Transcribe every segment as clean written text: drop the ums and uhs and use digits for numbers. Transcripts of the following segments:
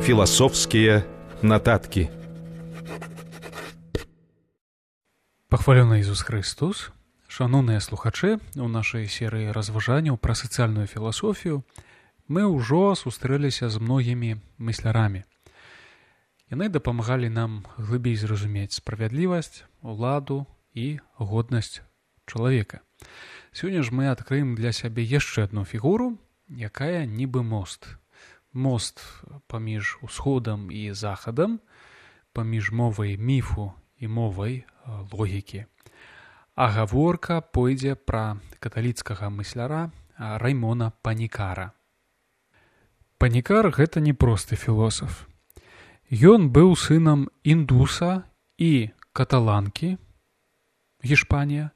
Філасофскія нататкі. Пахвалёны Ісус Христос. Шаноўныя слухачы, у нашай серыі разважанняў пра сацыяльную філасофію мы ўжо сустрэліся з многімі мыслярамі. Яны дапамагалі нам глыбей зразумець справядлівасць, уладу і годнасць чалавека. Сёння ж мы адкрыем для сябе яшчэ адну фігуру, якая нібы мост. Мост паміж усходам і захадам, паміж мовай міфу і мовай логікі. А гаворка пойдзе пра каталіцкага мысляра Раймона Панікара. Панікар – гэта не просты філосаф. Ён быў сынам індуса і каталанкі, Гішпанія,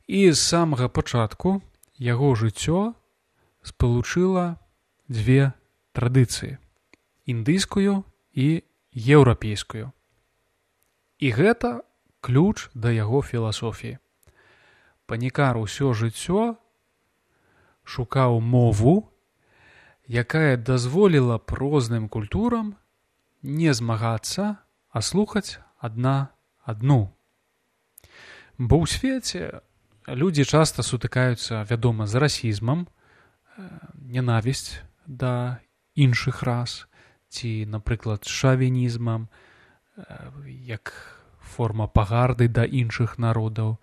і з самага пачатку яго жыццё спалучыла дзве традыцыі – індыйскую і еўрапейскую. І гэта ключ да яго філасофіі. Панікар усё жыццё шукаў мову, якая дазволіла б розным культурам не змагацца, а слухаць адна адну. Бо ў свеце людзі часта сутыкаюцца, вядома, з расізмам, ненавісць да іншых рас, ці, напрыклад, шавінізмам, як форма пагарды да іншых народаў,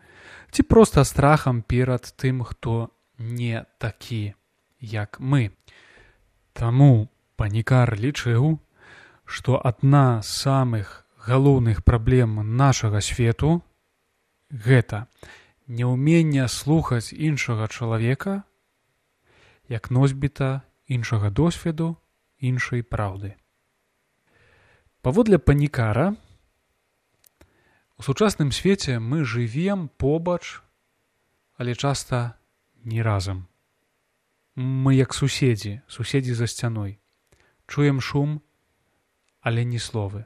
ці проста страхам перад тым, хто не такі, як мы. Таму Панікар лічыў, што адна з самых галоўных праблем нашага свету – гэта няўменне слухаць іншага чалавека як носьбіта іншага досведу, іншай праўды. Паводле Панікара, у сучасным свеце мы жывем побач, але часта не разам. Мы як суседзі за сцяной. Чуем шум, але ні словы.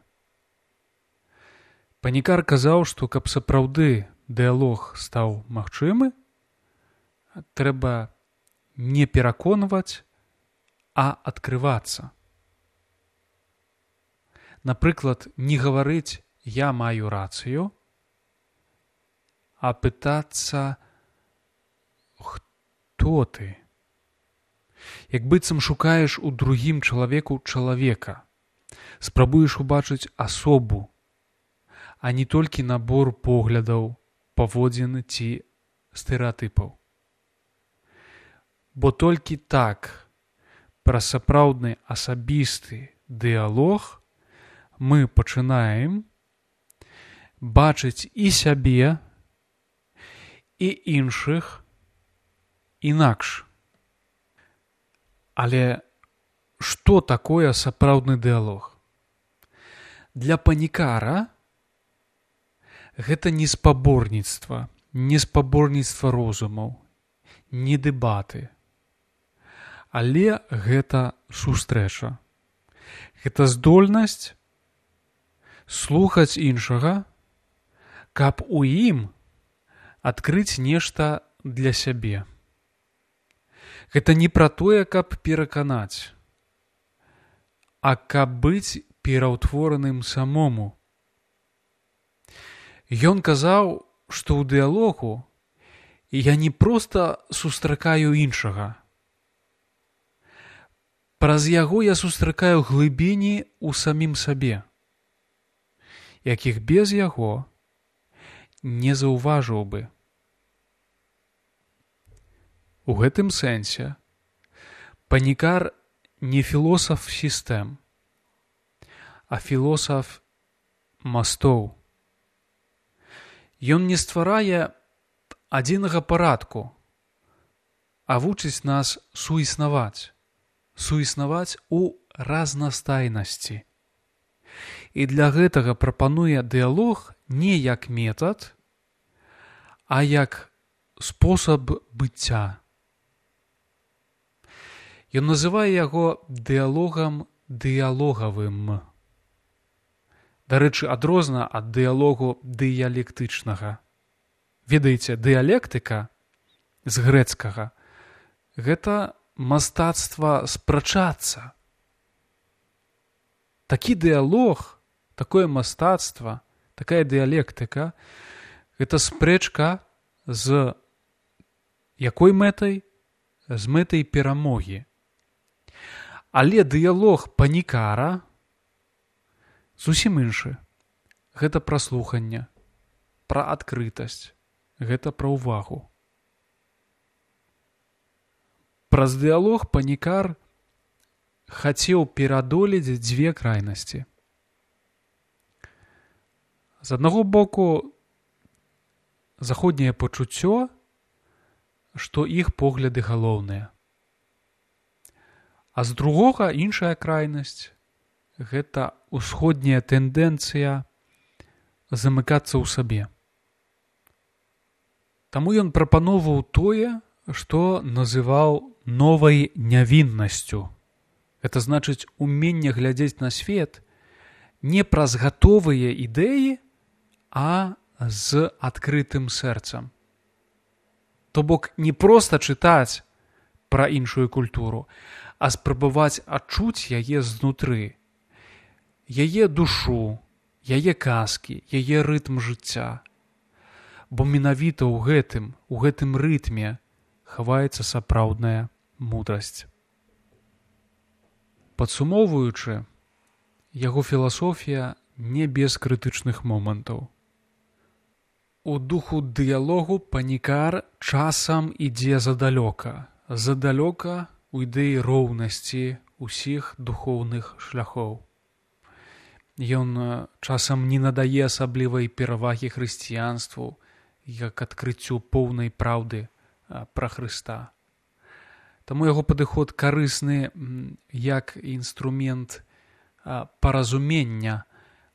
Панікар казаў, што каб сапраўды дыялог стаў магчымы, трэба не пераконваць, а адкрывацца. Напрыклад, не гаварыць «я маю рацыю», а пытацца «хто ты?». Як быццам шукаеш у другім чалавеку чалавека, спрабуеш убачыць асобу, а не толькі набор поглядаў, паводзін ці стэрэатыпаў. Бо толькі так, праз сапраўдны асабісты дыялог мы пачынаем бачыць і сябе, і іншых інакш. Але што такое сапраўдны дыялог? Для Панікара гэта не спаборніцтва, не спаборніцтва розумаў, не дэбаты. Але гэта сустрэча. Гэта здольнасць слухаць іншага, каб у ім адкрыць нешта для сябе. Гэта не пра тое, каб пераканаць, а каб быць пераўтвораным самому. Ён казаў, што ў дыялогу я не проста сустракаю іншага. Праз яго я сустракаю глыбіні ў самім сабе, якіх без яго не заўважыў бы. У гэтым сэнсе Панікар не філосаф сістэм, а філосаф мастоў. Ён не стварае адзінага парадку, а вучыць нас суіснаваць у разнастайнасці. І для гэтага прапануе дыялог не як метад, а як спосаб быцця. Ён называе яго дыялогам дыялогавым. Дарэчы, адрозна ад дыялогу дыялектычнага. Ведаеце, дыялектыка з грэцкага – гэта мастацтва спрачацца. Такі дыялог, такое мастацтва, такая дыялектыка — гэта спрэчка з якой мэтай? З мэтай перамогі. Але дыялог панікара зусім іншы. Гэта пра слуханне, пра адкрытасць, гэта пра ўвагу. Праз дыялог панікар хацеў перадолець дзве крайнасці. З аднаго боку, заходняе пачуццё, што іх погляды галоўныя. А з другога іншая крайнасць — гэта ўсходняя тэндэнцыя замыкацца ў сабе. Таму ён прапаноўваў тое, што называў новай нявіннасцю. Гэта значыць уменне глядзець на свет не праз гатовыя ідэі, а з адкрытым сэрцам. То бок не проста чытаць пра іншую культуру, а спрабаваць адчуць яе знутры, яе душу, яе казкі, яе рытм жыцця. Бо менавіта ў гэтым рытме хаваецца сапраўдная мудрасць. Падсумоўваючы, яго філасофія не без крытычных момантаў. У духу дыялогу панікар часам ідзе задалёка ў ідэі роўнасці ўсіх духоўных шляхоў. Ён часам не надае асаблівай перавагі хрысціянству як адкрыццю поўнай праўды пра Хрыста. Таму яго падыход карысны як інструмент паразумення,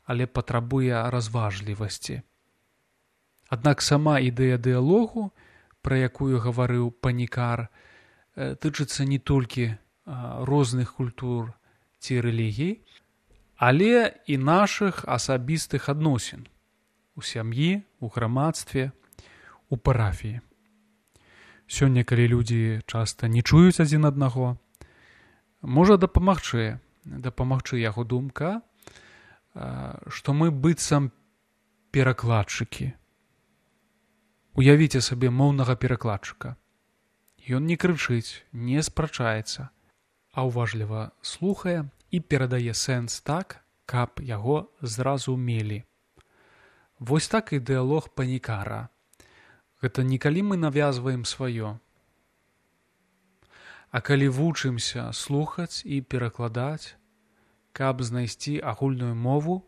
але патрабуе разважлівасці. Аднак сама ідэя дыялогу, пра якую гаварыў панікар, тычыцца не толькі розных культур ці рэлігій, але і нашых асабістых адносін у сям'і, у грамадстве, у парафіі. Сёння, калі людзі часта не чуюць адзін аднаго, можа дапамагчы яго думка, што мы быццам перакладчыкі. Уявіце сабе моўнага перакладчыка. Ён не крычыць, не спрачаецца, а ўважліва слухае і перадае сэнс так, каб яго зразумелі. Вось так і дыялог панікара. Гэта не калі мы навязваем сваё, а калі вучымся слухаць і перакладаць, каб знайсці агульную мову,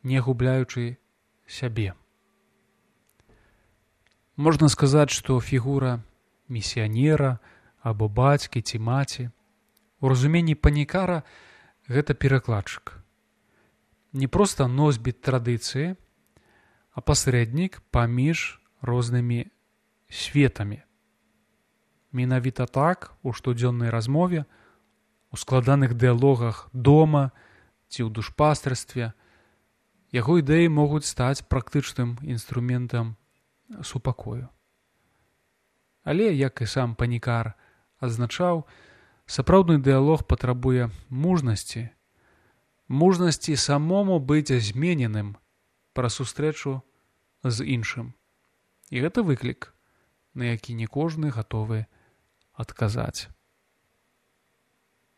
не губляючы сябе. Можна сказаць, што фігура місіянера або бацькі ці маці у разуменні панікара — гэта перакладчык. Не проста носьбіт традыцыі, а пасрэднік паміж рознымі светамі. Менавіта так у штодзённай размове, у складаных дыялогах дома ці ў душпастарстве яго ідэі могуць стаць практычным інструментам супакою. Але, як і сам панікар адзначаў, сапраўдны дыялог патрабуе мужнасці самому быць змененым пра сустрэчу з іншым. І гэта выклік, на які не кожны гатовы адказаць.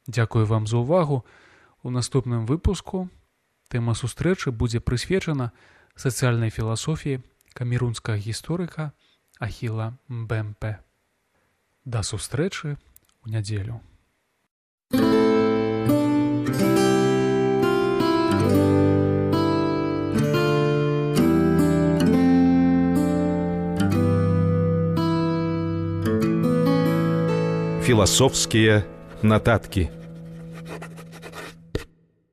Дзякую вам за ўвагу. У наступным выпуску тэма сустрэчы будзе прысвечана сацыяльнай філасофіі камерунскага гісторыка Ахіла Мбемпе. Да сустрэчы ў нядзелю. Философские нотатки.